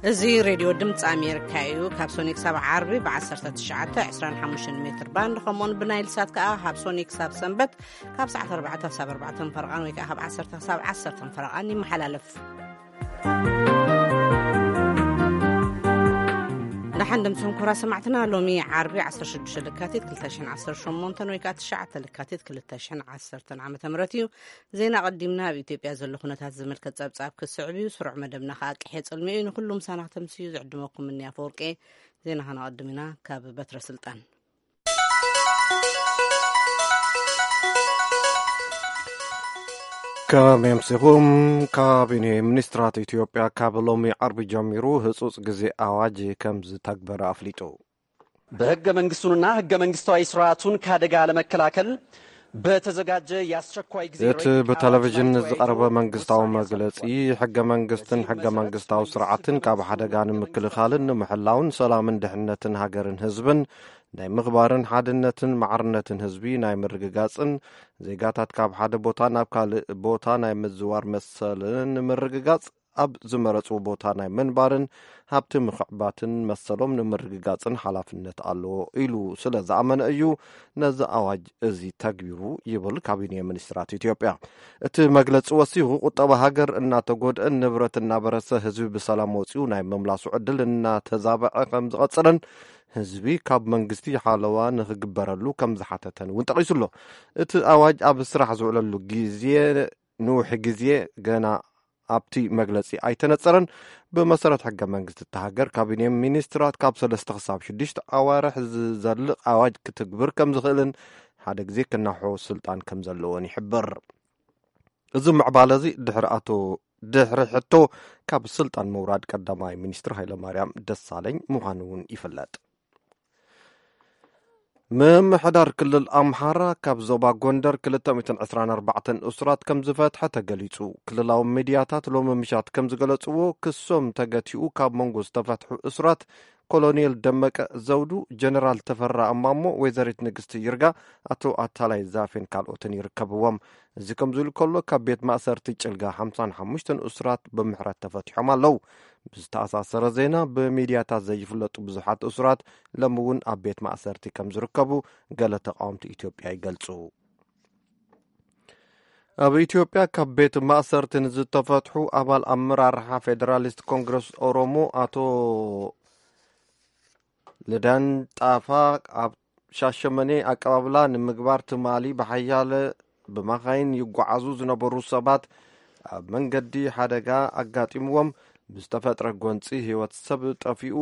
እዚ ሬድዮ ድምፂ ኣሜሪካ እዩ። ካብ ሶኒ ክሳብ ዓርቢ ብ19፣ 25 ሜትር ባንድ፣ ከምኡውን ብናይል ሳት ከኣ ካብ ሶኒ ክሳብ ሰንበት ካብ ሰዓት 4 ክሳብ 4 ፈረቓን ወይ ከኣ ካብ 10 ክሳብ 10 ፈረቓን ይመሓላለፍ። ደሓን ድምፅኹም ኩራ ሰማዕትና። ሎሚ ዓርቢ 16 ለካቲት 2018 ወይ ከኣ 9 ለካቲት 2010 ዓመተ ምህረት እዩ። ዜና ቀዲምና ኣብ ኢትዮጵያ ዘሎ ኩነታት ዝምልከት ጸብጻብ ክስዕብ እዩ። ስሩዕ መደብና ከኣ ቅሔ ጽልሚ እዩ። ንኹሉ ምሳና ክተምስዩ ዝዕድመኩም እኒ ኣፈወርቂ። ዜና ከነቐድም ኢና። ካብ በትረ ስልጣን ከመይ ኣምሲኹም። ካቢኔ ሚኒስትራት ኢትዮጵያ ካብ ሎሚ ዓርቢ ጀሚሩ ህጹጽ ግዜ ኣዋጅ ከም ዝተግበረ ኣፍሊጡ። ብሕገ መንግስቱንና ሕገ መንግስታዊ ስርዓቱን ከአደጋ ለመከላከል በተዘጋጀ የአስቸኳይ ጊዜ እቲ ረቂቅ ብቴሌቪዥን ኣዋጅ ላይ ዝቐረበ ተወያይቶ መንግስታዊ ውሳኔ መግለጺ፣ ኣሳልፏል። ሕገ መንግስትን በዚህ ሕገ መሰረት መንግስታዊ ስርዓትን ካብ ሓደጋ ንምክልኻልን ንምሕላውን ሰላምን ድሕነትን ሃገርን ህዝብን ናይ ምኽባርን ሓድነትን ማዕርነትን ህዝቢ ናይ ምርግጋጽን ዜጋታት ካብ ሓደ ቦታ ናብ ካልእ ቦታ ናይ ምዝዋር መሰልን ንምርግጋጽ ኣብ ዝመረጽዎ ቦታ ናይ ምንባርን ሃብቲ ምኽዕባትን መሰሎም ንምርግጋጽን ሓላፍነት ኣለዎ ኢሉ ስለ ዝኣመነ እዩ ነዚ ኣዋጅ እዚ ተግቢሩ ይብል ካቢኔ ሚኒስትራት ኢትዮጵያ። እቲ መግለጺ ወሲኹ፣ ቁጠባ ሃገር እናተጎድአን ንብረት እናበረሰ ህዝቢ ብሰላም ወጺኡ ናይ ምምላሱ ዕድል እናተዛበዐ ከም ዝቐጽልን ህዝቢ ካብ መንግስቲ ሓለዋ ንኽግበረሉ ከም ዝሓተተን እውን ጠቒሱ ኣሎ። እቲ ኣዋጅ ኣብ ስራሕ ዝውዕለሉ ግዜ ንውሕ ግዜ ገና ኣብቲ መግለጺ ኣይተነጸረን። ብመሰረት ሕገ መንግስቲ እታ ሃገር፣ ካቢኔ ሚኒስትራት ካብ ሰለስተ ክሳብ ሽዱሽተ ኣዋርሕ ዝዘልቕ ኣዋጅ ክትግብር ከም ዝኽእልን ሓደ ግዜ ክናሖ ስልጣን ከም ዘለዎን ይሕብር። እዚ ምዕባለ እዚ ድሕሪ ኣቶ ድሕሪ ሕቶ ካብ ስልጣን ምውራድ ቀዳማይ ሚኒስትር ሃይለማርያም ደሳለኝ ምዃኑ እውን ይፍለጥ። ምምሕዳር ክልል ኣምሓራ ካብ ዞባ ጎንደር 224 እሱራት ከም ዝፈትሐ ተገሊጹ። ክልላዊ ሚድያታት ሎሚ ምሻት ከም ዝገለጽዎ፣ ክሶም ተገቲኡ ካብ መንጎ ዝተፈትሑ እሱራት ኮሎኔል ደመቀ ዘውዱ፣ ጀነራል ተፈራ እማሞ፣ ወይዘሪት ንግስቲ ይርጋ፣ ኣቶ ኣታላይ ዛፌን ካልኦትን ይርከብዎም። እዚ ከም ዝብል ከሎ፣ ካብ ቤት ማእሰርቲ ጭልጋ 55 እሱራት ብምሕረት ተፈቲሖም ኣለዉ። ብዝተኣሳሰረ ዜና፣ ብሚድያታት ዘይፍለጡ ብዙሓት እሱራት ሎሚ እውን ኣብ ቤት ማእሰርቲ ከም ዝርከቡ ገለ ተቃወምቲ ኢትዮጵያ ይገልጹ። ኣብ ኢትዮጵያ ካብ ቤት ማእሰርቲ ንዝተፈትሑ ኣባል ኣመራርሓ ፌደራሊስት ኮንግረስ ኦሮሞ ኣቶ ልዳን ጣፋ ኣብ ሻሸመኔ ኣቀባብላ ንምግባር ትማሊ ብሓያለ ብመኻይን ይጓዓዙ ዝነበሩ ሰባት ኣብ መንገዲ ሓደጋ ኣጋጢምዎም ብዝተፈጥረ ጎንፂ ህይወት ሰብ ጠፊኡ፣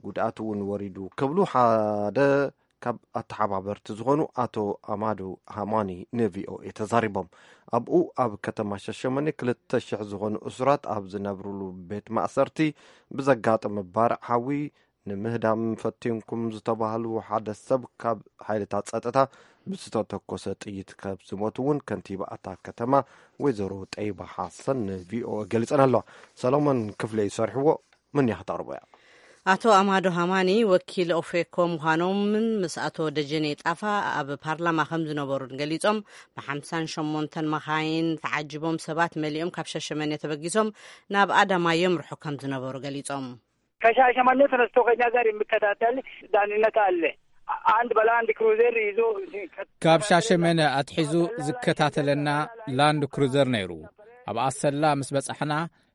ጉድኣት እውን ወሪዱ ክብሉ ሓደ ካብ ኣተሓባበርቲ ዝኾኑ ኣቶ ኣማዶ ሃማኒ ንቪኦኤ ተዛሪቦም። ኣብኡ ኣብ ከተማ ሻሸመኔ 2,000 ዝኾኑ እሱራት ኣብ ዝነብሩሉ ቤት ማእሰርቲ ብዘጋጠመ ባርዕ ሓዊ ንምህዳም ፈቲንኩም ዝተባህሉ ሓደ ሰብ ካብ ሓይልታት ጸጥታ ብዝተተኮሰ ጥይት ካብ ዝሞቱ እውን ከንቲባ እታ ከተማ ወይዘሮ ጠይባ ሓሰን ንቪኦኤ ገሊጸን ኣለዋ። ሰሎሞን ክፍለ ይሰርሕዎ። ምን እያ ክተቕርቦ እያ? ኣቶ ኣማዶ ሃማኒ ወኪል ኦፌኮ ምዃኖምን ምስ ኣቶ ደጀኔ ጣፋ ኣብ ፓርላማ ከም ዝነበሩን ገሊጾም፣ ብ58 መኻይን ተዓጂቦም ሰባት መሊኦም ካብ ሻሸመኔ ተበጊሶም ናብ ኣዳማ የምርሑ ከም ዝነበሩ ገሊጾም። ከሻሸመኔ ተነስቶ ከኛ ጋር የሚከታተል ዳንነት አለ። አንድ በላንድ ክሩዘር ይዞ ካብ ሻሸመነ ኣትሒዙ ዝከታተለና ላንድ ክሩዘር ነይሩ። ኣብ ኣሰላ ምስ በጻሕና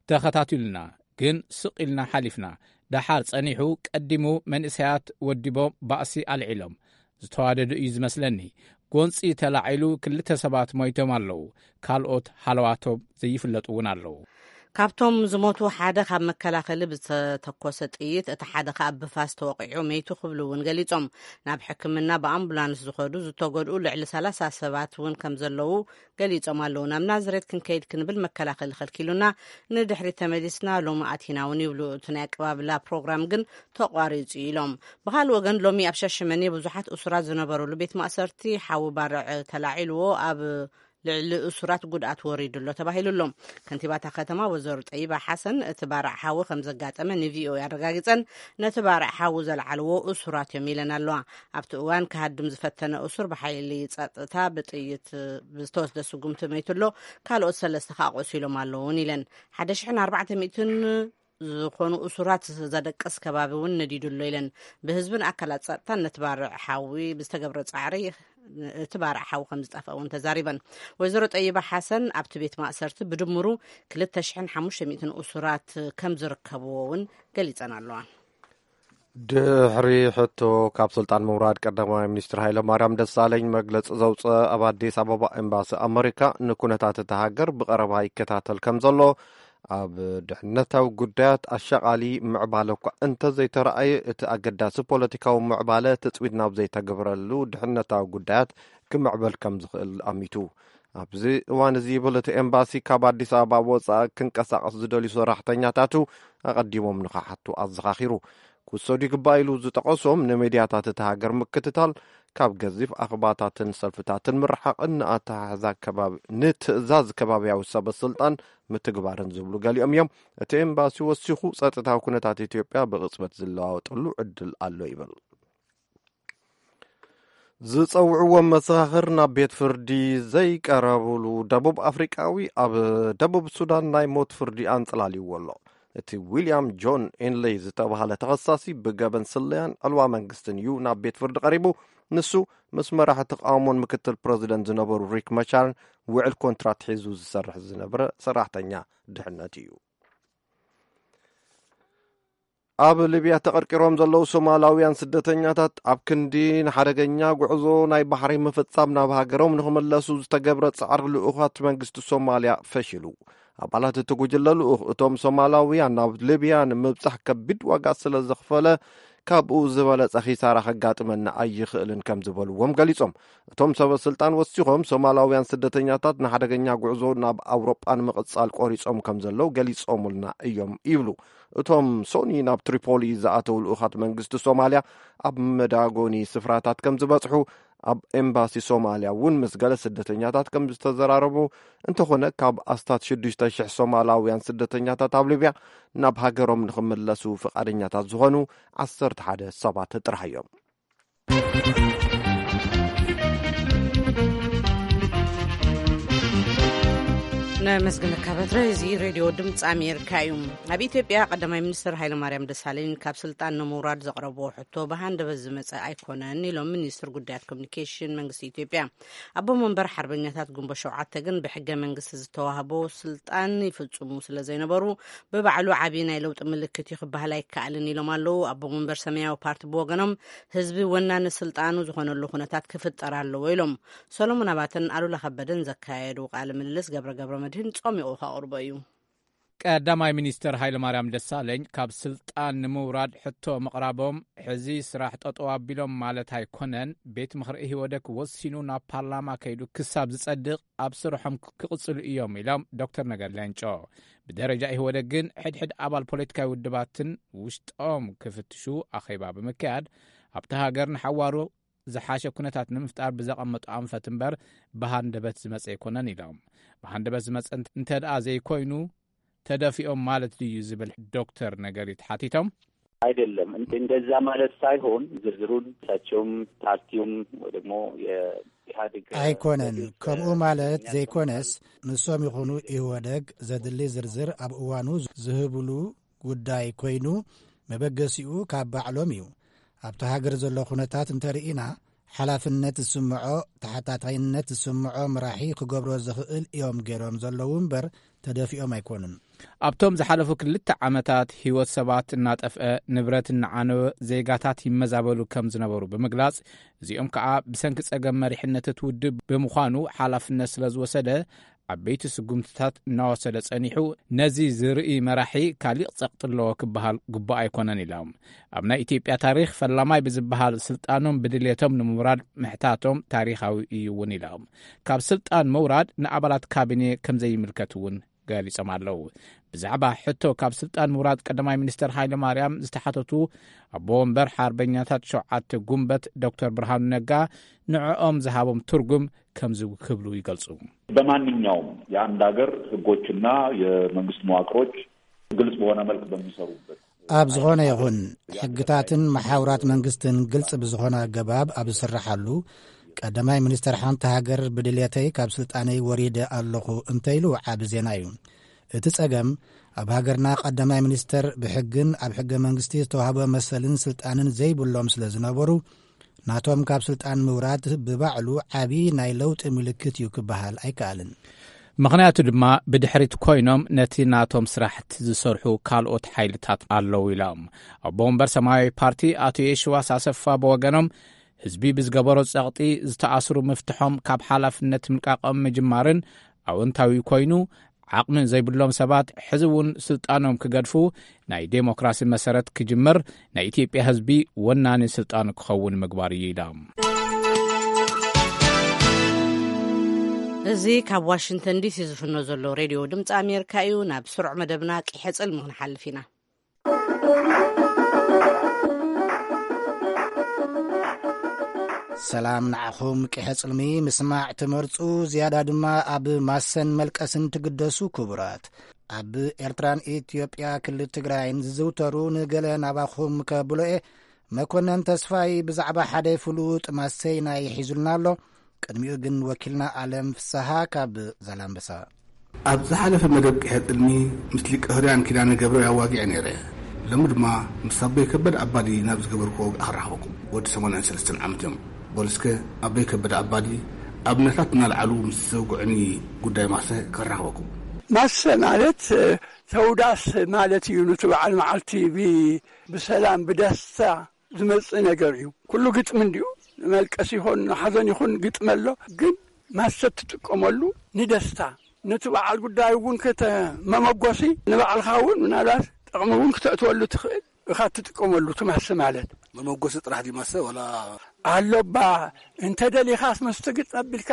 ተኸታቲሉና፣ ግን ስቕ ኢልና ሓሊፍና። ደሓር ጸኒሑ ቀዲሙ መንእሰያት ወዲቦም ባእሲ ኣልዒሎም ዝተዋደዱ እዩ ዝመስለኒ። ጎንጺ ተላዒሉ ክልተ ሰባት ሞይቶም ኣለዉ፣ ካልኦት ሃለዋቶም ዘይፍለጡ እውን ኣለዉ። ካብቶም ዝሞቱ ሓደ ካብ መከላኸሊ ብዝተተኮሰ ጥይት፣ እቲ ሓደ ከኣ ብፋስ ተወቒዑ መይቱ ክብሉ እውን ገሊጾም። ናብ ሕክምና ብኣምቡላንስ ዝኸዱ ዝተጎድኡ ልዕሊ 30 ሰባት እውን ከም ዘለዉ ገሊጾም ኣለዉ። ናብ ናዝሬት ክንከይድ ክንብል መከላኸሊ ከልኪሉና፣ ንድሕሪት ተመሊስና ሎሚ ኣቲና እውን ይብሉ እቲ ናይ ኣቀባብላ ፕሮግራም ግን ተቋሪጹ ኢሎም። ብኻልእ ወገን ሎሚ ኣብ ሻሸመኔ ብዙሓት እሱራት ዝነበሩሉ ቤት ማእሰርቲ ሓዊ ባርዕ ተላዒልዎ ኣብ ልዕሊ እሱራት ጉድኣት ወሪዱ ኣሎ ተባሂሉ ኣሎ። ከንቲባታ ከተማ ወይዘሮ ጠይባ ሓሰን እቲ ባርዕ ሓዊ ከም ዘጋጠመ ንቪኦኤ ኣረጋጊጸን፣ ነቲ ባርዕ ሓዊ ዘልዓልዎ እሱራት እዮም ኢለን ኣለዋ። ኣብቲ እዋን ክሃድም ዝፈተነ እሱር ብሓይሊ ጸጥታ ብጥይት ብዝተወስደ ስጉምቲ መይቱ ኣሎ፣ ካልኦት ሰለስተ ከኣ ቆሲሎም ኣለውን ኢለን። 1,400 ዝኾኑ እሱራት ዘደቅስ ከባቢ እውን ነዲዱ ኣሎ ኢለን። ብህዝብን ኣካላት ጸጥታን ነቲ ባርዕ ሓዊ ብዝተገብረ ጻዕሪ እቲ ባርዕ ሓዊ ከም ዝጠፍአ እውን ተዛሪበን። ወይዘሮ ጠይባ ሓሰን ኣብቲ ቤት ማእሰርቲ ብድምሩ ክልተ ሽሕን ሓሙሽተ ሚእትን እሱራት ከም ዝርከብዎ እውን ገሊጸን ኣለዋ። ድሕሪ ሕቶ ካብ ስልጣን ምውራድ ቀዳማይ ሚኒስትር ሃይለ ማርያም ደሳለኝ መግለጺ ዘውፅአ ኣብ ኣዲስ ኣበባ ኤምባሲ ኣመሪካ ንኩነታት እታ ሃገር ብቐረባ ይከታተል ከም ዘሎ፣ ኣብ ድሕነታዊ ጉዳያት ኣሻቓሊ ምዕባለ እኳ እንተዘይተረኣየ፣ እቲ ኣገዳሲ ፖለቲካዊ ምዕባለ ትፅቢት ናብ ዘይተገብረሉ ድሕነታዊ ጉዳያት ክምዕበል ከም ዝኽእል ኣሚቱ። ኣብዚ እዋን እዚ ይብል እቲ ኤምባሲ፣ ካብ ኣዲስ ኣበባ ወፃኢ ክንቀሳቐስ ዝደልዩ ሰራሕተኛታቱ ኣቐዲሞም ንኽሓቱ ኣዘኻኺሩ። ክውሰዱ ይግባእ ኢሉ ዝጠቐሶም ንሜድያታት እቲ ሃገር ምክትታል፣ ካብ ገዚፍ ኣኽባታትን ሰልፍታትን ምርሓቕን ንኣተሓሕዛ ከባቢ ንትእዛዝ ከባብያዊ ሰበ ስልጣን ምትግባርን ዝብሉ ገሊኦም እዮም። እቲ ኤምባሲ ወሲኹ፣ ጸጥታዊ ኩነታት ኢትዮጵያ ብቕጽበት ዝለዋወጠሉ ዕድል ኣሎ ይብል። ዝጸውዕዎም መሰኻኽር ናብ ቤት ፍርዲ ዘይቀረብሉ ደቡብ ኣፍሪቃዊ ኣብ ደቡብ ሱዳን ናይ ሞት ፍርዲ ኣንጸላልይዎ ኣሎ። እቲ ዊልያም ጆን ኤንሌይ ዝተባህለ ተኸሳሲ ብገበን ስለያን ዕልዋ መንግስትን እዩ ናብ ቤት ፍርዲ ቀሪቡ። ንሱ ምስ መራሒ ተቃውሞን ምክትል ፕረዚደንት ዝነበሩ ሪክ መቻርን ውዕል ኮንትራት ሒዙ ዝሰርሕ ዝነበረ ሰራሕተኛ ድሕነት እዩ። ኣብ ሊብያ ተቐርቂሮም ዘለዉ ሶማላውያን ስደተኛታት ኣብ ክንዲ ንሓደገኛ ጉዕዞ ናይ ባሕሪ ምፍጻም ናብ ሃገሮም ንኽምለሱ ዝተገብረ ጻዕሪ ልኡኻት መንግስቲ ሶማልያ ፈሺሉ። ኣባላት እቲ ጉጅለ ልኡኽ፣ እቶም ሶማላውያን ናብ ሊብያ ንምብጻሕ ከቢድ ዋጋ ስለ ዘኽፈለ፣ ካብኡ ዝበለጸ ኺሳራ ከጋጥመና ኣይኽእልን ከም ዝበልዎም ገሊጾም። እቶም ሰበ ስልጣን ወሲኾም፣ ሶማላውያን ስደተኛታት ንሓደገኛ ጉዕዞ ናብ ኣውሮጳ ንምቕጻል ቆሪጾም ከም ዘለዉ ገሊጾሙልና እዮም ይብሉ። እቶም ሶኒ ናብ ትሪፖሊ ዝኣተው ልኡኻት መንግስቲ ሶማልያ ኣብ መዳጎኒ ስፍራታት ከም ዝበጽሑ፣ ኣብ ኤምባሲ ሶማልያ እውን ምስ ገለ ስደተኛታት ከም ዝተዘራረቡ፣ እንተኾነ ካብ ኣስታት ሽዱሽተ ሽሕ ሶማላውያን ስደተኛታት ኣብ ሊብያ ናብ ሃገሮም ንኽምለሱ ፍቓደኛታት ዝኾኑ ዓሰርተ ሓደ ሰባት ጥራሕ እዮም። ነመስግነካ በትረ። እዚ ሬድዮ ድምፂ ኣሜሪካ እዩ። ኣብ ኢትዮጵያ ቀዳማይ ሚኒስትር ሃይለማርያም ደሳለኝ ካብ ስልጣን ንምውራድ ዘቕረብዎ ሕቶ ብሃንደበት ዝመፀ ኣይኮነን ኢሎም ሚኒስትር ጉዳያት ኮሚኒኬሽን መንግስቲ ኢትዮጵያ። ኣቦ መንበር ሓርበኛታት ግንቦት ሸውዓተ ግን ብሕገ መንግስቲ ዝተዋህቦ ስልጣን ይፍፅሙ ስለ ዘይነበሩ ብባዕሉ ዓብዪ ናይ ለውጢ ምልክት እዩ ክበሃል ኣይከኣልን ኢሎም ኣለዉ። ኣቦ መንበር ሰማያዊ ፓርቲ ብወገኖም ህዝቢ ወናኒ ስልጣኑ ዝኾነሉ ኩነታት ክፍጠር ኣለዎ ኢሎም። ሰሎሞን ኣባተን ኣሉላ ከበደን ዘካየዱ ቃለ ምልልስ ገብረ ገብረ መድህን ጾሚቑ ከቕርቦ እዩ። ቀዳማይ ሚኒስትር ሃይለማርያም ደሳለኝ ካብ ስልጣን ንምውራድ ሕቶ ምቕራቦም ሕዚ ስራሕ ጠጠው ኣቢሎም ማለት ኣይኮነን። ቤት ምኽሪ ኢህወደግ ወሲኑ ናብ ፓርላማ ከይዱ ክሳብ ዝጸድቕ ኣብ ስርሖም ክቕጽሉ እዮም ኢሎም ዶክተር ነገር ሌንጮ። ብደረጃ ኢህወደግ ግን ሕድሕድ ኣባል ፖለቲካዊ ውድባትን ውሽጦም ክፍትሹ ኣኼባ ብምክያድ ኣብቲ ሃገር ንሓዋሩ ዝሓሸ ኩነታት ንምፍጣር ብዘቐመጡ ኣንፈት እምበር ብሃንደበት ዝመጸ ኣይኮነን ኢሎም። ብሃንደበት ዝመጸ እንተ ደኣ ዘይኮይኑ ተደፊኦም ማለት ድዩ ዝብል ዶክተር ነገሪ ተሓቲቶም። አይደለም። እንደዛ ማለት ሳይሆን ዝርዝሩን እሳቸውም ፓርቲውም ወይ ደግሞ የኢህአዴግ ኣይኮነን። ከምኡ ማለት ዘይኮነስ፣ ንሶም ይኹኑ ኢህወደግ ዘድሊ ዝርዝር ኣብ እዋኑ ዝህብሉ ጉዳይ ኮይኑ፣ መበገሲኡ ካብ ባዕሎም እዩ። ኣብቲ ሃገር ዘሎ ኩነታት እንተርኢና፣ ሓላፍነት ዝስምዖ፣ ተሓታታይነት ዝስምዖ መራሒ ክገብሮ ዝኽእል እዮም ገይሮም ዘለዉ እምበር ተደፊኦም ኣይኮኑን። ኣብቶም ዝሓለፉ ክልተ ዓመታት ህይወት ሰባት እናጠፍአ፣ ንብረት እናዓነወ፣ ዜጋታት ይመዛበሉ ከም ዝነበሩ ብምግላጽ፣ እዚኦም ከኣ ብሰንኪ ጸገም መሪሕነት እቲ ውድብ ብምዃኑ ሓላፍነት ስለ ዝወሰደ፣ ዓበይቲ ስጉምትታት እናወሰደ ጸኒሑ፣ ነዚ ዝርኢ መራሒ ካሊእ ጸቕጢ ኣለዎ ክበሃል ግቡእ ኣይኮነን ኢሎም። ኣብ ናይ ኢትዮጵያ ታሪኽ ፈላማይ ብዝበሃል ስልጣኖም ብድልየቶም ንምውራድ ምሕታቶም ታሪኻዊ እዩ እውን ኢሎም። ካብ ስልጣን ምውራድ ንኣባላት ካቢኔ ከም ዘይምልከት እውን ገሊጾም ኣለዉ። ብዛዕባ ሕቶ ካብ ስልጣን ምውራድ ቀዳማይ ሚኒስትር ሃይለ ማርያም ዝተሓተቱ ኣቦ ወንበር ሓርበኛታት ሸውዓተ ጉንበት ዶክተር ብርሃኑ ነጋ ንዕኦም ዝሃቦም ትርጉም ከምዚ ክብሉ ይገልጹ። በማንኛውም የአንድ ሀገር ህጎችና የመንግስት መዋቅሮች ግልጽ በሆነ መልክ በሚሰሩበት ኣብ ዝኾነ ይኹን ሕግታትን መሓውራት መንግስትን ግልጽ ብዝኾነ ኣገባብ ኣብ ዝስርሓሉ፣ ቀዳማይ ሚኒስተር ሓንቲ ሃገር ብድልየተይ ካብ ስልጣነይ ወሪደ ኣለኹ እንተኢሉ ዓቢ ዜና እዩ። እቲ ጸገም ኣብ ሃገርና ቀዳማይ ሚኒስተር ብሕግን ኣብ ሕገ መንግስቲ ዝተዋህበ መሰልን ስልጣንን ዘይብሎም ስለ ዝነበሩ፣ ናቶም ካብ ስልጣን ምውራድ ብባዕሉ ዓቢ ናይ ለውጢ ምልክት እዩ ክበሃል ኣይከኣልን። ምኽንያቱ ድማ ብድሕሪት ኮይኖም ነቲ ናቶም ስራሕቲ ዝሰርሑ ካልኦት ሓይልታት ኣለዉ ኢሎም። ኣቦ ወንበር ሰማያዊ ፓርቲ ኣቶ የሽዋስ ኣሰፋ ብወገኖም፣ ህዝቢ ብዝገበሮ ጸቕጢ ዝተኣስሩ ምፍትሖም ካብ ሓላፍነት ምልቃቖም ምጅማርን ኣወንታዊ ኮይኑ፣ ዓቕሚ ዘይብሎም ሰባት ሕዚ እውን ስልጣኖም ክገድፉ፣ ናይ ዴሞክራሲ መሰረት ክጅምር፣ ናይ ኢትዮጵያ ህዝቢ ወናኒ ስልጣኑ ክኸውን ምግባር እዩ ኢሎም። እዚ ካብ ዋሽንግተን ዲሲ ዝፍኖ ዘሎ ሬድዮ ድምፂ ኣሜሪካ እዩ። ናብ ስሩዕ መደብና ቂሐ ጽልሚ ክንሓልፍ ኢና። ሰላም ንዓኹም። ቂሐ ጽልሚ ምስማዕ ትመርጹ፣ ዝያዳ ድማ ኣብ ማሰን መልቀስን ትግደሱ ክቡራት። ኣብ ኤርትራን ኢትዮጵያ ክልል ትግራይን ዝዝውተሩ ንገለ ናባኹም ከብሎ እየ። መኮነን ተስፋይ ብዛዕባ ሓደ ፍሉጥ ማሰይናይ ሒዙልና ኣሎ። ቅድሚኡ ግን ወኪልና ኣለም ፍስሃ ካብ ዛላምበሳ። ኣብ ዝሓለፈ መደብ ቅሐ ጥልሚ ምስ ሊቀ ህርያን ኪዳነ ገብረ ኣዋጊዐ ነይረ። ሎሚ ድማ ምስ ኣቦይ ከበደ ኣባዲ ናብ ዝገበርክዎ ወግዒ ክራኸበኩም። ወዲ ሰማንያን ሰለስተን ዓመት እዮም። በሉ እስከ ኣቦይ ከበደ ኣባዲ ኣብነታት እናልዓሉ ምስ ዘውግዑኒ ጉዳይ ማሰ ክራኸበኩም። ማሰ ማለት፣ እ፣ ተውዳስ ማለት እዩ። ነቲ በዓል መዓልቲ ብ-፣ ብሰላም ብደስታ ዝመጽእ ነገር እዩ። ኩሉ ግጥሚ እንድዩ፣ ንመልቀስ ይኹን ንሓዘን ይኹን ግጥሚ ኣሎ። ግን ማሰ ትጥቀመሉ ንደስታ፣ ነቲ በዓል ጉዳይ እውን ክተ-፣ መመጎሲ፣ ንባዕልኻ እውን ምናልባት ጥቕሚ እውን ክተእትወሉ ትኽእል ኢኻ ትጥቀመሉ። እቲ ማሰ ማለት መመጎሲ ጥራሕ ድዩ ማሰ ዋላ? ኣሎባ፣ እንተ ደሊኻስ መስተ ግጥሚ ኣቢልካ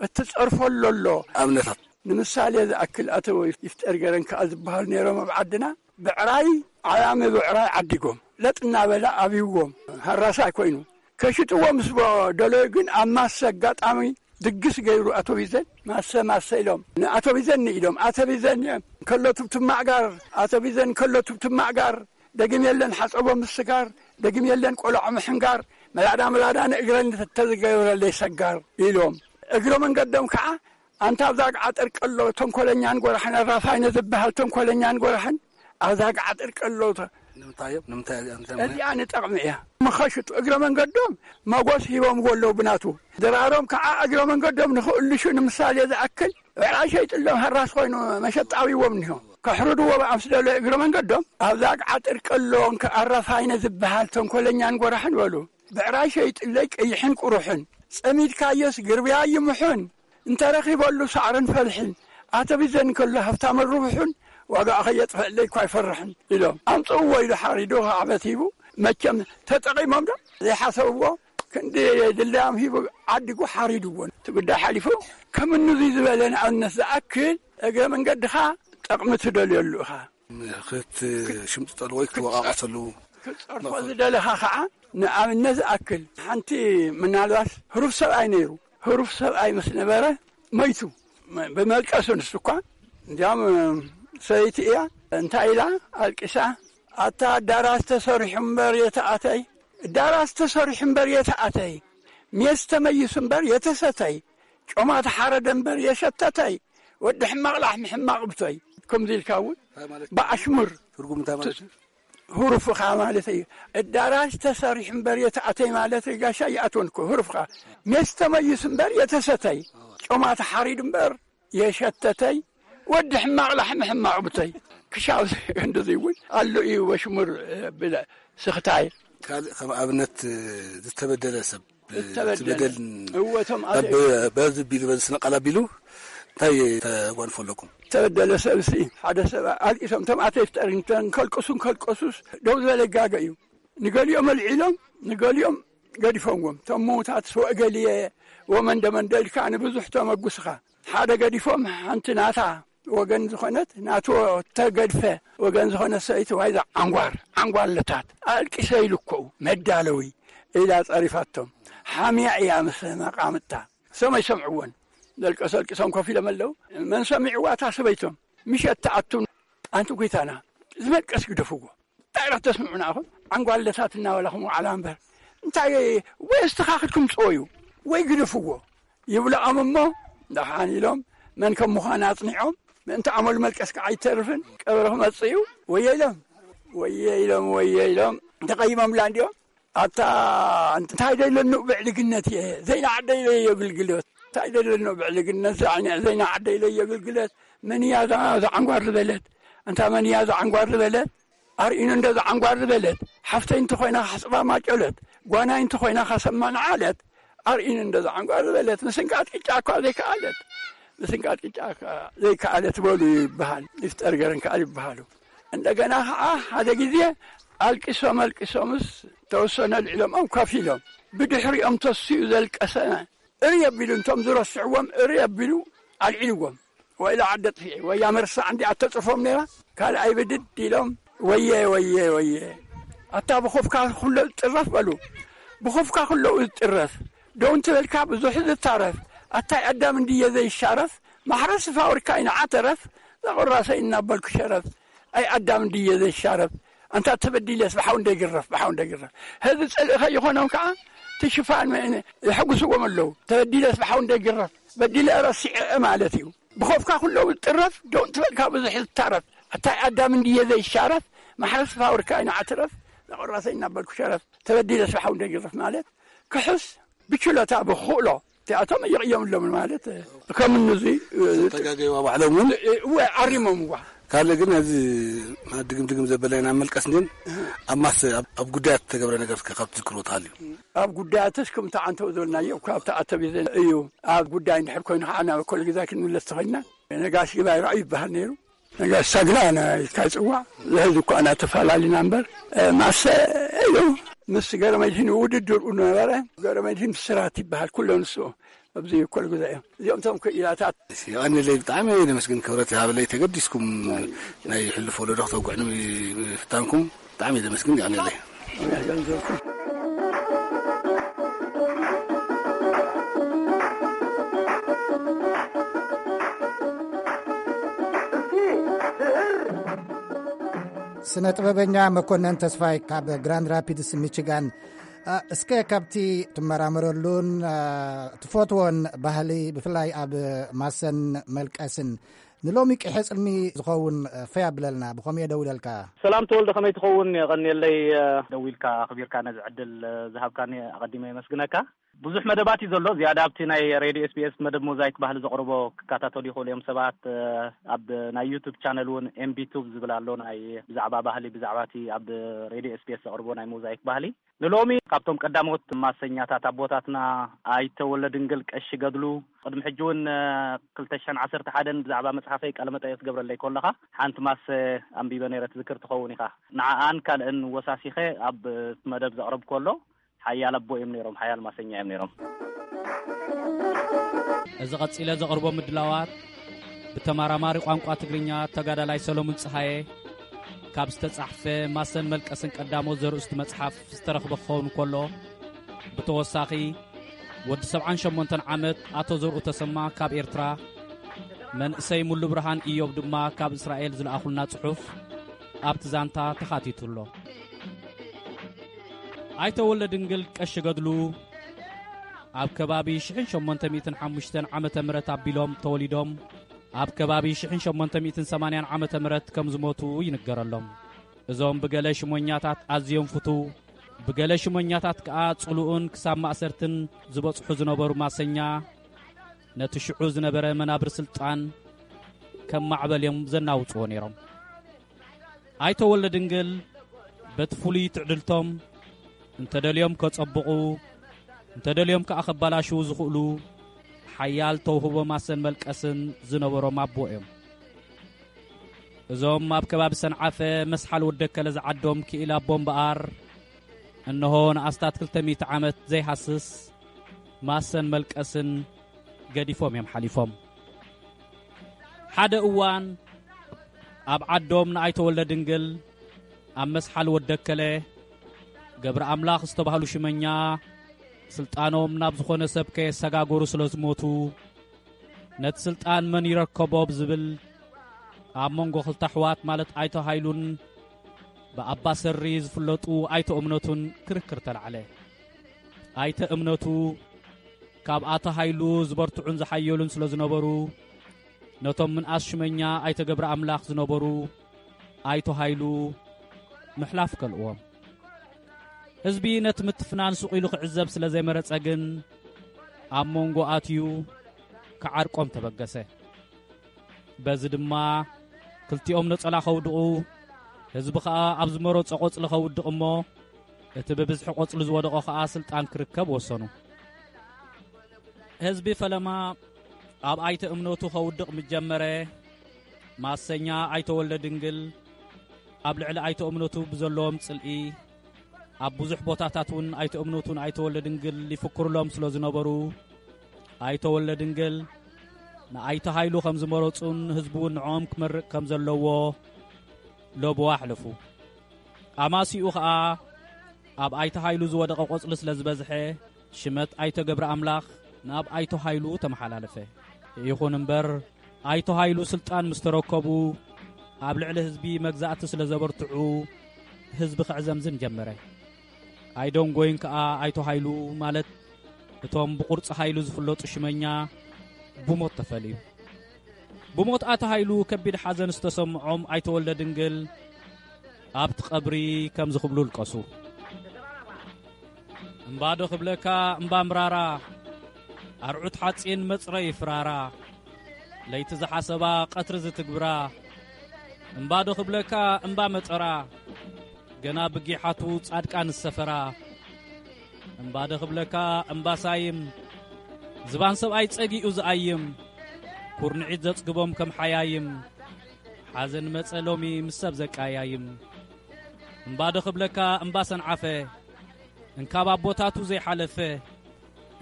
እትጸርፈሉ ኣሎ። ኣብነታት? ንምሳሌ ዝኣክል ኣቶ ይፍጠር ገረን ከኣ ዝበሃሉ ነይሮም ኣብ ዓድና። ብዕራይ ዓያሚ ብዕራይ ዓዲጎም ለጥ እናበለ ኣብይዎም ሃራሳይ ኮይኑ ከሽጥዎ ምስ በ-፣ ደለዩ ግን ኣብ ማሰ ኣጋጣሚ ድግስ ገይሩ ኣቶ ቢዘን ማሰ ማሰ ኢሎም ንኣቶ ቢዘን ንኢዶም ኣቶ ቢዘን እዮም። ከሎ ትብትማዕ ጋር፣ ኣቶ ቢዘን ከሎ ትብትማዕ ጋር፣ ደግም የለን ሓጸቦ ምስ ስጋር፣ ደግም የለን ቆልዖ ምሕንጋር፣ መላዳ መላዳ ንእግረን ተዝገብረለይ ሰጋር ኢሎም። እግረ መንገዶም ከዓ ኣንታ ኣብዛ ገዓጠር ቀሎ ተንኮለኛን ጎራሕን ኣራፋይነ ዝበሃል ተንኮለኛን ጎራሕን ኣብዛ ገዓጠር ቀሎ ተ-፣ ንምንታይ እዮም? ንምንታይ እዮም? ንምንታይ እዮም? እዚኣ ንጠቕሚ እያ። ምኸሽጡ እግረ መንገዶም መጎስ ሂቦም ወለው ብናቱ ድራሮም ከዓ እግረ መንገዶም ንኽእልሹ ንምሳሌ ዝኣክል ብዕራይ ሸይጥሎም ሃራስ ኮይኑ መሸጣዊዎም እኒሆ። ከሕርድዎ ብኣምስ ደሎ እግረ መንገዶም ኣብዛ ገዓጠር ቀሎ ኣራፋይነ ዝበሃል ተንኮለኛን ጎራሕን በሉ። ብዕራይ ሸይጥለይ ቀይሕን ቁሩሕን፣ ጸሚድካዮስ ግርብያ ይምሑን፣ እንተረኺበሉ ሳዕርን ፈልሕን፣ ኣተቢዘን ከሎ ሃብታምን ርቡሑን፣ ዋጋኣ ከየጥፈለይ እኳ ኣይፈርሕን ኢሎም ኣምጽእዎ ኢሉ ሓሪዱ ከዓበት ሂቡ። መቸም ተጠቒሞም ዶ ዘይሓሰብዎ ክንዲ ድላዮም ሂቡ ዓዲጉ ሓሪድዎ። እቲ ጉዳይ ሓሊፉ ከም እኑዚ ዝበለ ንኣብነት ዝኣክል እግረ መንገድኻ ጠቕሚ ትደልየሉ ኢኻ። ክትሽምጥጠሉ ወይ ክትወቓቐሰሉ ክትጸርፎ መኽፈል። ዝደለኻ ኸዓ ንኣብነት ዝኣክል ሓንቲ ምናልባት ህሩፍ ሰብኣይ ነይሩ። ህሩፍ ሰብኣይ ምስ ነበረ መይቱ። ብመልቀሱ ንሱ እኳ እንዲያም ሰበይቲ እያ። እንታይ ኢላ ኣልቂሳ? ኣታ ኣዳራሽ ተሰሪሑ እምበር የተኣተይ፣ ኣዳራሽ ተሰሪሑ እምበር የተኣተይ፣ ሜስ ተመይሱ እምበር የተሰተይ፣ ጮማ ተሓረደ እምበር የሸተተይ፣ ወዲ ሕማቕ ላሕሚ ሕማቕ ብቶይ። ከምዚ ኢልካ እውን እንታይ ማለት እዩ? ብኣሽሙር ትርጉም እንታይ ማለት እዩ? ህሩፍኻ ማለት እዩ። ኣዳራሽ ተሰሪሑ እምበር የተኣተይ ማለት ጋሻ ይኣትወን እኮ ህሩፍኻ። ሜስ ተመይሱ እምበር የተሰተይ፣ ጮማ ተሓሪዱ እምበር የሸተተይ፣ ወዲ ሕማቕ ላሕሚ ሕማቕ ብተይ። ክሻብ እንደዚ እውን ኣሎ እዩ በሽሙር ብለ ስኽታይ። ካልእ ከም ኣብነት ዝተበደለ ሰብ ዝተበደለ። ትበደል እወ፣ እቶም ኣብ ኣደ- በዚ ቢሉ በዚ ስነ ቃል ኣቢሉ እንታይ ተጓንፎ ኣለኩም? ዝተበደለ ሰብ ሲ ሓደ ሰብ ኣልቂሶም እቶም ኣተይ ፍጠር እንከልቅሱ እንከልቀሱስ ደው ዝበለ ይጋገ እዩ። ንገሊኦም ኣልዒሎም ንገሊኦም ገዲፎምዎም። እቶም ምዉታት ወእገሊየ ወመንደ መንደ ኢልካ ንብዙሕ ተመጉስኻ። ሓደ ገዲፎም ሓንቲ ናታ ወገን ዝኾነት ናቱ ተገድፈ ወገን ዝኾነት ሰበይቲ ዋይዛ ዓንጓር ዓንጓለታት ኣልቂሰ ኢሉ እኮ መዳለዊ ኢላ ጸሪፋቶም። ሓሚያ እያ ምስ መቃምታ። ሰም ኣይሰምዕዎን። ደልቀስ ኣልቂሶም ኮፍ ኢሎም ኣለዉ። መን ሰሚዕዋ እታ ሰበይቶም? ምሸት ትኣቱ። ኣንቲ ጐይታና ዝመልቀስ ግደፍዎ። እንታይ ኢኻ ተስምዑና ኢኹም? ዓንጓለታት እናበላኹም ዋዕላ እምበር። እንታይ ወይ ኣስተኻኽልኩም ጽወዩ ወይ ግደፍዎ ይብልኦም እሞ ደሓን ኢሎም መን ከም ምዃን ኣጽኒዖም ምእንቲ ኣመሉ መልቀስ ከዓ ኣይተርፍን። ቀብሪ ክመጽእ እዩ። ወየ ኢሎም፣ ወየ ኢሎም፣ ወየ ኢሎም። ተቐይሞምላ እንዲኦም። ኣታ እንታይ ደለኑ ብዕልግነት እየ፣ ዘይና ዓደይ ለየግልግለት። እንታይ ደለኑ ብዕልግነት፣ ዘይና ዓደይ ለየግልግለት። መን እያ እዛ፣ እዛ ዓንጓር ዝበለት? እንታ መን እያ እዛ ዓንጓር ዝበለት? ኣርእዩኒ እንዶ እዛ ዓንጓር ዝበለት። ሓፍተይ እንተኾይና ካሕጽባ ማጨለት፣ ጓናይ እንተኾይና ካሰማ ንዓለት። ኣርእዩኒ እንዶ እዛ ዓንጓር ዝበለት። ምስንቃጥ ቅጫ እኳ ዘይከኣለት። ምስንቃጥ ቅጫ እኳ ዘይከኣለት በሉ ይበሃል። ይፍጠር ገረን ከኣል ይበሃሉ። እንደገና ኸዓ ሓደ ግዜ ኣልቂሶም ኣልቂሶምስ ተወሰነ ኣልዒሎምኦም ከፊሎም። ብድሕሪኦም ተስኡ ዘልቀሰ እሪ ኣቢሉ፣ እንቶም ዝረስዕዎም እሪ ኣቢሉ ኣልዒልዎም። ወይላ ዓዲ ኣጥፊኤ፣ ወያ መርሳዕ እንዲኣ ተጽፎም ነይራ። ካልኣይ ብድድ ኢሎም፣ ወየ፣ ወየ፣ ወየ። ኣታ ብኹፍካ ኩሎ ዝጥረፍ በሉ። ብኹፍካ ኩሎ ዝጥረፍ። ደው እንትበልካ ብዙሕ ዝታረፍ። ኣታይ ኣዳም እንድየ ዘይሻረፍ። ማሕረስ ፋብሪካ ይንዓተረፍ። ዘቑራሰይ እናበልኩ ሸረፍ። ኣይ ኣዳም እንድየ ዘይሻረፍ። ኣንታ ተበዲለስ ብሓው እንደይግረፍ፣ ብሓው እንደይግረፍ። ህዚ ጽልኢ ከይኾኖም ከዓ ትሽፋን የሕጉስዎም ኣለዉ። ተበዲለስ ብሓው እንደይግረፍ። በዲለ ረሲዐ ማለት እዩ። ብኸፍካ ኩሎ ዝጥረፍ፣ ደው እንትበልካ ብዙሕ ዝታረፍ። ኣታይ ኣዳም እንድየ ዘይሻረፍ፣ ማሕረስ ፋብሪካ ይንዓትረፍ፣ ዘቑራሰይ እናበልኩ ሸረፍ። ተበዲለስ ብሓው እንደይግረፍ ማለት፣ ክሕስ ብችሎታ ብኽእሎ፣ እቲኣቶም ይቕየምሎም ማለት፣ ከም እነዚ ተጋገይዋ ባዕሎም እውን እወ፣ ኣሪሞምዋ። ካልእ ግን ነዚ ድግም ድግም ዘበለና መልቀስ ግን ኣብ ማስ-፣ ኣብ፣ ኣብ ጉዳያት ዝተገብረ ነገር እስከ ካብ ትዝክርዎ ትሃልዩ? ኣብ ጉዳያትስ ከምቲ ዓንተው ዝበልናዮ፣ እኳ ኣብቲ ኣተቢዘ እዩ። ኣብ ጉዳይ እንድሕር ኮይኑ ከዓ ናብ ኮል ግዛ ክንምለስ ተኸይና፣ ነጋሽ ይባይ ራእዩ ይበሃል ነይሩ። ነጋሽ ሳግላ ናይ ካይ ጽዋዕ፣ ዝሕዚ እኳ እናተፈላለና እምበር፣ እ፣ ማሰ እዩ። ምስ ገረመድህን ውድድር ነበረ። ገረመድህን ብስራት ይበሃል፣ ኩሎ ንሱ ኣብዚ ኮል ግዛ እዮም። እዚኦም እቶም ክኢላታት። እሺ፣ የቐንየለይ፣ ብጣዕሚ እየ ደመስግን። ክብረት ይሃበለይ፣ ተገዲስኩም ናይ ሕሉፍ ወለዶ ክተውግዕኒ ምፍታንኩም ብጣዕሚ እየ ደመስግን። የቐንየለይ። ስነ ጥበበኛ መኮነን ተስፋይ ካብ ግራንድ ራፒድስ ሚችጋን፣ እ፣ እስከ ካብቲ ትመራመረሉን፣ እ፣ ትፈትዎን ባህሊ፣ ብፍላይ ኣብ ማሰን መልቀስን፣ ንሎሚ ቅሐ ጽልሚ ዝኸውን፣ እ፣ ፈይ ኣብለልና፣ ብኸምኡ እየ ደው ኢለልካ። ሰላም ተወልደ፣ ከመይ ትኸውን? የቐንየለይ፣ እ፣ ደዊልካ ኣኽቢርካ ነዚ ዕድል፣ እ፣ ዝሃብካኒ ኣቐዲመ የመስግነካ። ብዙሕ መደባት እዩ ዘሎ። ዝያዳ ኣብቲ ናይ ሬድዮ ኤስቢኤስ መደብ ሞዛይክ ባህሊ ዘቕርቦ ክከታተሉ ይኽእሉ እዮም ሰባት። እ፣ ኣብ ናይ ዩቱብ ቻነል እውን ኤምቢ ቱብ ዝብል ኣሎ፣ ናይ ብዛዕባ ባህሊ፣ ብዛዕባ እቲ ኣብ ሬድዮ ኤስቢኤስ ዘቕርቦ ናይ ሞዛይክ ባህሊ። ንሎሚ ካብቶም ቀዳሞት ማሰኛታት ኣቦታትና ኣይተ ወልደድንግል ቀሺ ገድሉ፣ ቅድሚ ሕጂ እውን፣ እ፣ ክልተ ሽሕን ዓሰርተ ሓደን ብዛዕባ መጽሓፈይ ቃለ መጠይቕ ትገብረለይ ከለኻ፣ ሓንቲ ማሰ ኣንቢበ ነይረ፣ ትዝክር ትኸውን ኢኻ። ንዓኣን ካልእን ወሳሲኸ ኣብ መደብ ዘቕረብኩ ኣሎ። ሓያል ኣቦ እዮም ነይሮም፣ ሓያል ማሰኛ እዮም ነይሮም። እዚ ቀጺለ ዘቕርቦ ምድላዋት፣ ብተመራማሪ ቋንቋ ትግርኛ ተጋዳላይ ሰሎሙን ጸሃየ ካብ ዝተጻሕፈ ማሰን መልቀስን ቀዳሞት ዘርእስቱ መጽሓፍ ዝተረኽበ ክኸውን ከሎ፣ ብተወሳኺ፣ ወዲ ሰብዓን ሸሞንተን ዓመት ኣቶ ዘርኡ ተሰማ ካብ ኤርትራ፣ መንእሰይ ሙሉ ብርሃን ኢዮብ ድማ ካብ እስራኤል ዝለኣኹልና ጽሑፍ ኣብቲ ዛንታ ተኻቲቱ ኣሎ። ኣይተ ወልደድንግል ቀሺ ገድሉ ኣብ ከባቢ ሽሕን ሸሞንተ ሚእትን ሓሙሽተን ዓመተ ምህረት ኣቢሎም ተወሊዶም፣ ኣብ ከባቢ ሽሕን ሸሞንተ ሚእትን ሰማንያን ዓመተ ምህረት ከም ዝሞቱ ይንገረሎም። እዞም ብገለ ሽሞኛታት ኣዝዮም ፍቱው፣ ብገለ ሽሞኛታት ከኣ ጽሉእን ክሳብ ማእሰርትን ዝበጽሑ ዝነበሩ ማሰኛ፣ ነቲ ሽዑ ዝነበረ መናብር ስልጣን ከም ማዕበል እዮም ዘናውጽዎ ነይሮም። ኣይተ ወልደድንግል በቲ ፍሉይ ትዕድልቶም እንተደልዮም ከጸብቑ፣ እንተደልዮም ከኣ ከባላሽዉ ዝኽእሉ ሓያል ተውህቦ ማሰን መልቀስን ዝነበሮም ኣቦ እዮም። እዞም ኣብ ከባቢ ሰንዓፈ መስሓል ወደከለ ዝዓዶም ክኢላ ኣቦ እምበኣር፣ እንሆ ንኣስታት ክልተ ሚእቲ ዓመት ዘይሃስስ ማሰን መልቀስን ገዲፎም እዮም ሓሊፎም። ሓደ እዋን ኣብ ዓዶም ንኣይተ ወልደድንግል ኣብ መስሓል ወደከለ ገብረ ኣምላኽ ዝተባህሉ ሽመኛ ስልጣኖም ናብ ዝኾነ ሰብ ከየሰጋገሩ ስለ ዝሞቱ፣ ነቲ ስልጣን መን ይረከቦ ብዝብል ኣብ መንጎ ክልተ ኣሕዋት ማለት ኣይተ ሃይሉን ብኣባ ሰሪ ዝፍለጡ ኣይተ እምነቱን ክርክር ተላዕለ። ኣይተ እምነቱ ካብ ኣቶ ሃይሉ ዝበርትዑን ዝሓየሉን ስለ ዝነበሩ፣ ነቶም ምንኣስ ሽመኛ ኣይተ ገብረ ኣምላኽ ዝነበሩ ኣይተ ሃይሉ ምሕላፍ ከልእዎም። ህዝቢ ነቲ ምትፍናን ስቕ ኢሉ ክዕዘብ ስለ ዘይመረጸ ግን፣ ኣብ መንጎ ኣትዩ ክዓርቆም ተበገሰ። በዚ ድማ ክልቲኦም ነጸላ ከውድቑ፣ ህዝቢ ኸኣ ኣብ ዝመረጾ ቆጽሊ ከውድቕ እሞ፣ እቲ ብብዝሒ ቆጽሊ ዝወደቖ ኸኣ ስልጣን ክርከብ ወሰኑ። ህዝቢ ፈለማ ኣብ ኣይተ እምነቱ ከውድቕ ምስ ጀመረ፣ ማሰኛ ኣይተ ወልደ ድንግል ኣብ ልዕሊ ኣይተ እምነቱ ብዘለዎም ጽልኢ፣ ኣብ ብዙሕ ቦታታት እውን ኣይተ እምነቱን ኣይተ ወልደ ድንግል ይፍክሩሎም ስለ ዝነበሩ፣ ኣይተ ወልደ ድንግል ንኣይተ ሃይሉ ከም ዝመረጹን ህዝቢ እውን ንዕኦም ክመርቕ ከም ዘለዎ ለብዋ ኣሕለፉ። ኣማሲኡ ኸኣ ኣብ ኣይተ ሃይሉ ዝወደቐ ቆጽሊ ስለ ዝበዝሐ፣ ሽመት ኣይተ ገብረ ኣምላኽ ናብ ኣይተ ሃይሉ ተመሓላለፈ። ይኹን እምበር፣ ኣይተ ሃይሉ ስልጣን ምስ ተረከቡ፣ ኣብ ልዕሊ ህዝቢ መግዛእቲ ስለ ዘበርትዑ፣ ህዝቢ ክዕዘምዝም ጀመረ። ኣይደንጎይን ከኣ ኣይተ ሃይሉ፣ ማለት እቶም ብቁርጺ ሃይሉ ዝፍለጡ ሽመኛ፣ ብሞት ተፈልዩ። ብሞት ኣታ ሃይሉ ከቢድ ሓዘን ዝተሰምዖም ኣይተ ወልደ ድንግል ኣብቲ ቀብሪ ከምዚ ክብሉ ልቀሱ። እምባዶ ክብለካ እምባ ምራራ፣ ኣርዑት ሓጺን መጽረይ ፍራራ፣ ለይቲ ዝሓሰባ ቀትሪ ዝትግብራ። እምባዶ ክብለካ እምባ መጠራ፣ ገና ብጊሓቱ ጻድቃን ዝሰፈራ። እምባዶ ክብለካ እምባ ሳይም፣ ዝባን ሰብኣይ ጸጊኡ ዝኣይም፣ ኩርንዒት ዘጽግቦም ከም ሓያይም። ሓዘን መጸ ሎሚ ምስ ሰብ ዘቀያይም። እምባዶ ክብለካ እምባ ሰንዓፈ፣ እንካብ ኣቦታቱ ዘይሓለፈ፣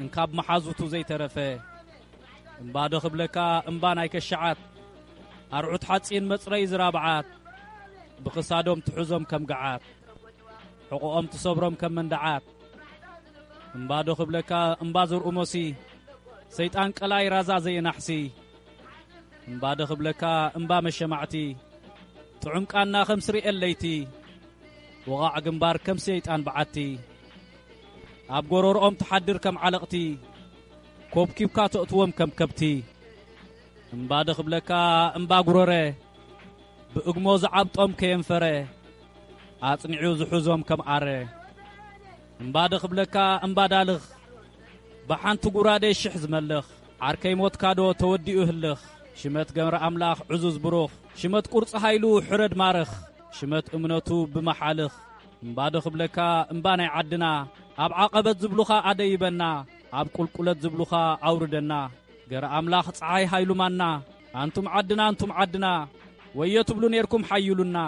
እንካብ መሓዙቱ ዘይተረፈ። እምባዶ ክብለካ እምባ ናይ ከሻዓት፣ ኣርዑት ሓጺን መጽረይ ዝራብዓት፣ ብኽሳዶም ትሕዞም ከም ገዓት፣ ሕቖኦም ትሰብሮም ከም መንደዓት። እምባዶ ክብለካ እምባ ዘርኡ ሞሲ፣ ሰይጣን ቀላይ ራዛ ዘየናሕሲ። እምባዶ ክብለካ እምባ መሸማዕቲ፣ ጥዑም ቃና ከም ስርኤል ለይቲ፣ ወቓዕ ግንባር ከም ሰይጣን በዓቲ። ኣብ ጎረርኦም ትሓድር ከም ዓለቕቲ፣ ኮብኪብካ ተእትዎም ከም ከብቲ። እምባዶ ክብለካ እምባ ጉረረ፣ ብእግሞ ዝዓብጦም ከየንፈረ፣ ኣጽኒዑ ዝሕዞም ከም ኣረ። እምባዶ ክብለካ እምባ ዳልኽ፣ ብሓንቲ ጉራዴ ሽሕ ዝመልኽ። ዓርከይ ሞትካዶ ተወዲኡ ህልኽ፣ ሽመት ገብረ ኣምላኽ ዕዙዝ ብሩኽ፣ ሽመት ቁርጺ ሃይሉ ሕረድ ማርኽ፣ ሽመት እምነቱ ብመሓልኽ። እምባዶ ክብለካ እምባ ናይ ዓድና፣ ኣብ ዓቐበት ዝብሉኻ ኣደይበና፣ ኣብ ቁልቁለት ዝብሉኻ ኣውርደና። ገረ ኣምላኽ ጸሓይ ሃይሉ ማና፣ ኣንቱም ዓድና፣ ኣንቱም ዓድና፣ ወዮ ትብሉ ኔርኩም ሓይሉና፣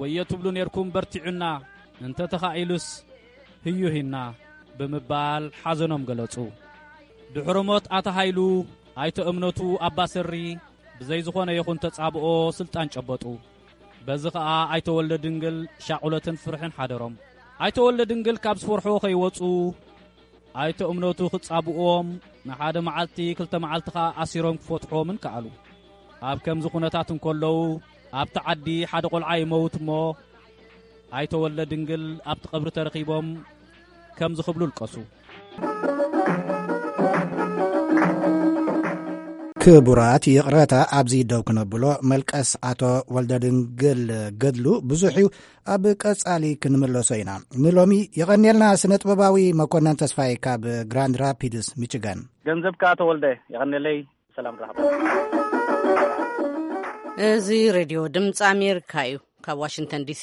ወዮ ትብሉ ኔርኩም በርቲዑና፣ እንተ ተኻኢሉስ ህዩሂና ብምባል ሓዘኖም ገለጹ። ድሕሪ ሞት ኣታ ሃይሉ፣ ኣይተ እምነቱ ኣባ ሰሪ ብዘይ ዝኾነ ይኹን ተጻብኦ ስልጣን ጨበጡ። በዚ ኸኣ ኣይተ ወልደ ድንግል ሻቑለትን ፍርሕን ሓደሮም። ኣይተ ወልደ ድንግል ካብ ዝፈርሕዎ ከይወጹ፣ ኣይተ እምነቱ ክጻብእዎም ንሓደ መዓልቲ ክልተ መዓልቲ ኸኣ ኣሲሮም ክፈትሕዎምን ከኣሉ። ኣብ ከምዚ ኩነታት እንከለዉ፣ ኣብቲ ዓዲ ሓደ ቈልዓ ይመውት እሞ፣ ኣይተ ወልደ ድንግል ኣብቲ ቀብሪ ተረኺቦም ከምዚ ክብሉ ልቀሱ። ክቡራት፣ ይቕረታ ኣብዚ ደው ክነብሎ፣ መልቀስ ኣቶ ወልደ ድንግል ገድሉ ብዙሕ እዩ። ኣብ ቀጻሊ ክንምለሶ ኢና። ንሎሚ የቐንየልና ስነ ጥበባዊ መኮነን ተስፋይ ካብ ግራንድ ራፒድስ ሚችጋን። ገንዘብ ከኣ ተወልደ፣ የቐንየለይ። ሰላም ራህባ። እዚ ሬድዮ ድምፂ ኣሜሪካ እዩ፣ ካብ ዋሽንግተን ዲሲ።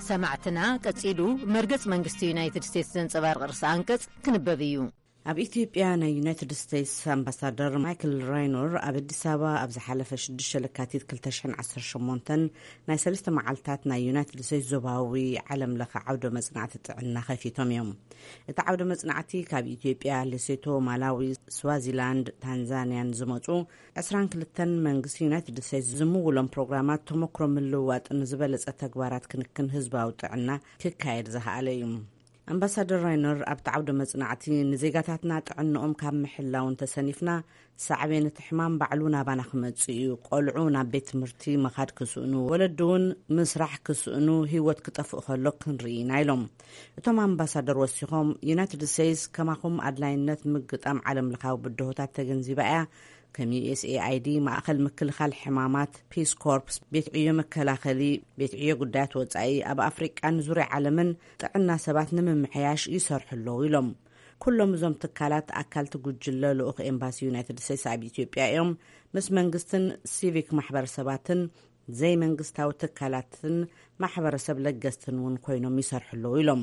ሰማዕትና፣ ቀጺሉ መርገጽ መንግስቲ ዩናይትድ ስቴትስ ዘንጸባርቕ ርእሰ ኣንቀጽ ክንበብ እዩ። ኣብ ኢትዮጵያ ናይ ዩናይትድ ስቴትስ ኣምባሳደር ማይክል ራይኖር ኣብ ኣዲስ ኣበባ ኣብ ዝሓለፈ ሽዱሽተ ለካቲት ክልተ ሽሕን ዓሰርተ ሸሞንተን ናይ ሰለስተ መዓልታት ናይ ዩናይትድ ስቴትስ ዞባዊ ዓለም ለኸ ዓውደ መጽናዕቲ ጥዕና ከፊቶም እዮም። እቲ ዓውደ መጽናዕቲ ካብ ኢትዮጵያ፣ ሌሴቶ፣ ማላዊ፣ ስዋዚላንድ፣ ታንዛንያን ዝመጹ ዕስራን ክልተን መንግስቲ ዩናይትድ ስቴትስ ዝምውሎም ፕሮግራማት ተመክሮ ምልውዋጥን ዝበለጸ ተግባራት ክንክን ህዝባዊ ጥዕና ክካየድ ዝኸኣለ እዩ። ኣምባሳደር ራይነር ኣብቲ ዓውደ መጽናዕቲ፣ ንዜጋታትና ጥዕንኦም ካብ ምሕላው እንተሰኒፍና፣ ሳዕቤን እቲ ሕማም ባዕሉ ናባና ክመጽእ እዩ። ቆልዑ ናብ ቤት ትምህርቲ ምኻድ ክስእኑ፣ ወለዲ እውን ምስራሕ ክስእኑ፣ ህይወት ክጠፍእ ከሎ ክንርኢ ኢና ኢሎም። እቶም ኣምባሳደር ወሲኾም፣ ዩናይትድ ስቴትስ ከማኹም ኣድላይነት ምግጣም ዓለም ለኻዊ ብድሆታት ተገንዚባ እያ። ከም ዩ ኤስ ኤ ኣይ ዲ፣ ማእኸል ምክልኻል ሕማማት፣ ፒስ ኮርፕስ፣ ቤት ዕዮ መከላኸሊ፣ ቤት ዕዮ ጉዳያት ወጻኢ፣ ኣብ ኣፍሪቃን ዙርያ ዓለምን ጥዕና ሰባት ንምምሕያሽ ይሰርሑ ኣለዉ ኢሎም። ኩሎም እዞም ትካላት ኣካልቲ ጉጅለ ልኡኽ ኤምባሲ ዩናይትድ ስቴትስ ኣብ ኢትዮጵያ እዮም። ምስ መንግስትን ሲቪክ ማሕበረሰባትን ዘይመንግስታዊ ትካላትን ማሕበረሰብ ለገስትን እውን ኮይኖም ይሰርሑ ኣለዉ ኢሎም።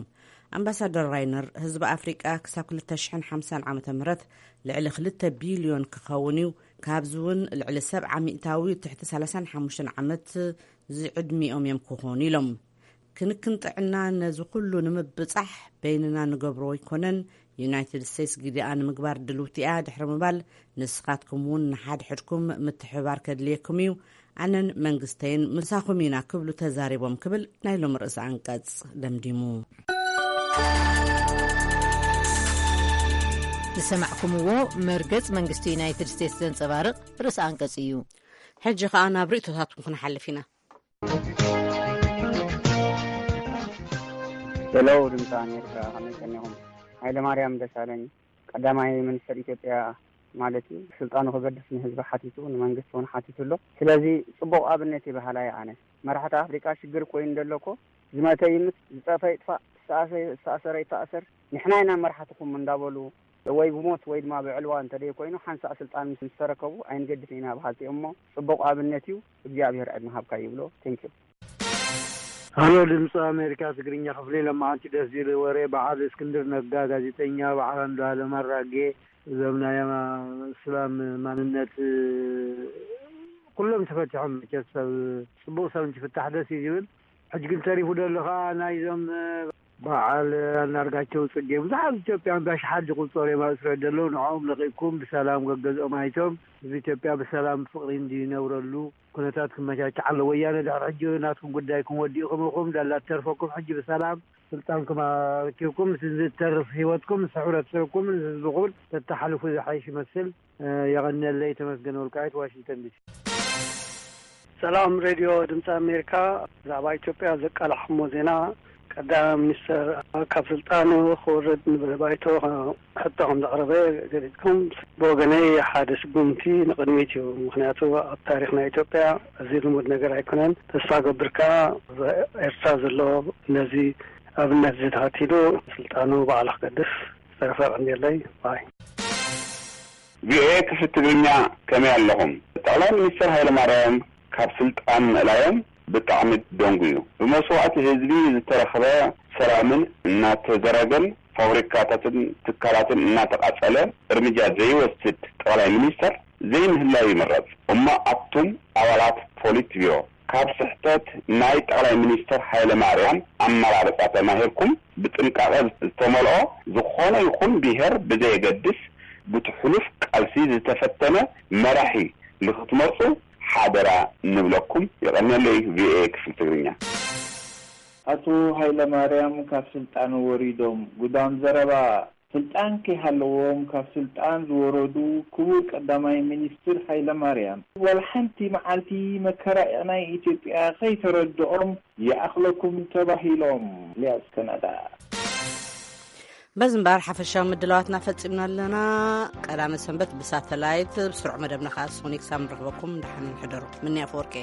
ኣምባሳደር ራይነር፣ ህዝቢ ኣፍሪቃ ክሳብ ክልተ ሽሕን ሓምሳን ዓመተ ምህረት ልዕሊ ክልተ ቢልዮን ክኸውን እዩ። ካብዚ እውን ልዕሊ ሰብዓ ሚእታዊ ትሕቲ ሰላሳን ሓሙሽተን ዓመት ዝዕድሚኦም እዮም ክኾኑ ኢሎም። ክንክን ጥዕና ነዚ ኩሉ ንምብጻሕ በይንና ንገብሮ ኣይኮነን። ዩናይትድ ስቴትስ ግዲኣ ንምግባር ድልውቲ እያ ድሕሪ ምባል፣ ንስኻትኩም እውን ንሓድሕድኩም ምትሕብባር ከድልየኩም እዩ። ኣነን መንግስተይን ምሳኹም ኢና ክብሉ ተዛሪቦም ክብል ናይ ሎም ርእሲ ኣንቀጽ ደምዲሙ። ዝሰማዕኩምዎ መርገጽ መንግስቲ ዩናይትድ ስቴትስ ዘንጸባርቕ ርእሲ ኣንቀጽ እዩ። ሕጂ ከኣ ናብ ርእይቶታትኩም ክንሓልፍ ኢና። ሄሎ፣ ድምፂ ኣሜሪካ፣ ከመይ ቀኒኹም? ሃይለ ማርያም ደሳለኝ ቀዳማይ ሚኒስትር ኢትዮጵያ ማለት እዩ፣ ስልጣኑ ክገድፍ ንህዝቢ ሓቲቱ፣ ንመንግስቲ እውን ሓቲቱ ኣሎ። ስለዚ ጽቡቕ ኣብነት እዩ በሃላይ ኣነ። መራሕቲ ኣፍሪቃ ሽግር ኮይኑ ደሎ እኮ፣ ዝመተ ይምት፣ ዝጸፈ ይጥፋእ፣ ዝተኣሰ-፣ ዝተኣሰረ ይተኣሰር፣ ንሕና ኢና መራሕትኹም እንዳበሉ ወይ ብሞት ወይ ድማ ብዕልዋ እንተደይ ኮይኑ ሓንሳእ ስልጣን ምስ ምስ ተረከቡ ኣይንገድፍ ኢና በሃልቲ እዮም እሞ ጽቡቕ ኣብነት እዩ። እግዚኣብሔር ዕድመ ሃብካ ይብሎ። ቴንኪዩ። ሃሎ ድምፂ ኣሜሪካ ትግርኛ ክፍሊ፣ ለማዓንቲ ደስ ዝብል ወሬ። በዓል እስክንድር ነጋ፣ ጋዜጠኛ በዓል ኣንዱዓለም ኣራጌ፣ እዞም ናይ ኣማ-፣ እስላም ማንነት ኩሎም ተፈቲሖም። መቸስ ሰብ ፅቡቕ ሰብ እንትፍታሕ ደስ እዩ ዝብል። ሕጂ ግን ተሪፉ ደሎ ከዓ ናይዞም በዓል ኣናርጋቸው ፅጌ፣ ብዙሓት ኢትዮጵያን ብኣሽሓት ዝቁፀሩ እዮም ኣብ እስራኤል ዘለዉ። ንዕኦም ለቂቅኩም ብሰላም ገገዝኦም ኣይቶም ህዝቢ ኢትዮጵያ ብሰላም ፍቅሪ እንዲነብረሉ ኩነታት ክመቻቻ ኣሎ። ወያነ ድሕሪ ሕጂ ናትኩም ጉዳይኩም ወዲእኩም ኢኹም። ዳላ ትተርፈኩም ሕጂ ብሰላም ስልጣንኩም ኣረኪብኩም ምስ ዝተርፍ ህይወትኩም ምስ ሕብረተሰብኩም ምስ ህዝብኩም ተተሓልፉ ዝሓይሽ ይመስል። የቐንየለይ። ተመስገን ወልቃይት፣ ዋሽንግተን ዲሲ። ሰላም ሬድዮ ድምፂ ኣሜሪካ፣ ብዛዕባ ኢትዮጵያ ዘቃላሕሞ ዜና ቀዳማይ ሚኒስተር ካብ ስልጣኑ ክወርድ ንባይቶ ሕቶ ከም ዘቕረበ ገሊጽኩም። ብወገነይ ሓደ ስጉምቲ ንቕድሚት እዩ። ምኽንያቱ ኣብ ታሪኽ ናይ ኢትዮጵያ እዚ ልሙድ ነገር ኣይኮነን። ተስፋ ገብር ከኣ ኤርትራ ዘሎ ነዚ ኣብነት ዝተኸቲሉ ስልጣኑ ባዕሉ ክገድፍ ዝተረፈ ቀንየለይ ባይ። ቪኦኤ ክፍሊ ትግርኛ ከመይ ኣለኹም? ጠቕላይ ሚኒስትር ሃይለማርያም ካብ ስልጣን ምእላዮም ብጣዕሚ ደንጉዩ። ብመስዋእቲ ህዝቢ ዝተረኽበ ሰላምን እናተዘረገን ፋብሪካታትን ትካላትን እናተቓጸለ እርምጃ ዘይወስድ ጠቕላይ ሚኒስተር ዘይምህላው ይምረጽ። እሞ ኣቱም ኣባላት ፖሊት ቢሮ ካብ ስሕተት ናይ ጠቕላይ ሚኒስተር ሃይለማርያም ኣመራርጻ ተማሂርኩም ብጥንቃቐ ዝተመልኦ ዝኾነ ይኹን ብሄር ብዘየገድስ ብቲ ሕሉፍ ቃልሲ ዝተፈተነ መራሒ ንኽትመርጹ ሓደራ ንብለኩም። የቐንየለይ። ቪኦኤ ክፍሊ ትግርኛ። ኣቶ ሃይለማርያም ካብ ስልጣን ወሪዶም ጉዳም ዘረባ። ስልጣን ከይሃለዎም ካብ ስልጣን ዝወረዱ ክቡር ቀዳማይ ሚኒስትር ሃይለማርያም ዋላ ሓንቲ መዓልቲ መከራ ናይ ኢትዮጵያ ከይተረድኦም ይኣኽለኩም ተባሂሎም። ኢልያስ ከናዳ። በዚ እምበኣር ሓፈሻዊ ምድላዋትና ፈጺምና ኣለና። ቀዳመ ሰንበት ብሳተላይት፣ ብስሩዕ መደብና ከኣ ሶኒክ ሳብ ንረኽበኩም። ደሓን ሕደሩ። ምንያ ኣፈወርቂ።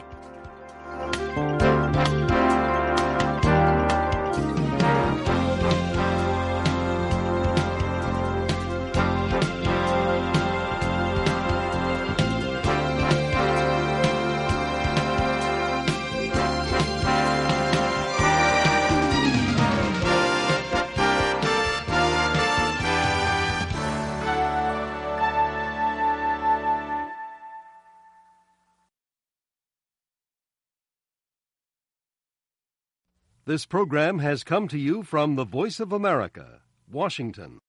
This program has come to you from the Voice of America, Washington.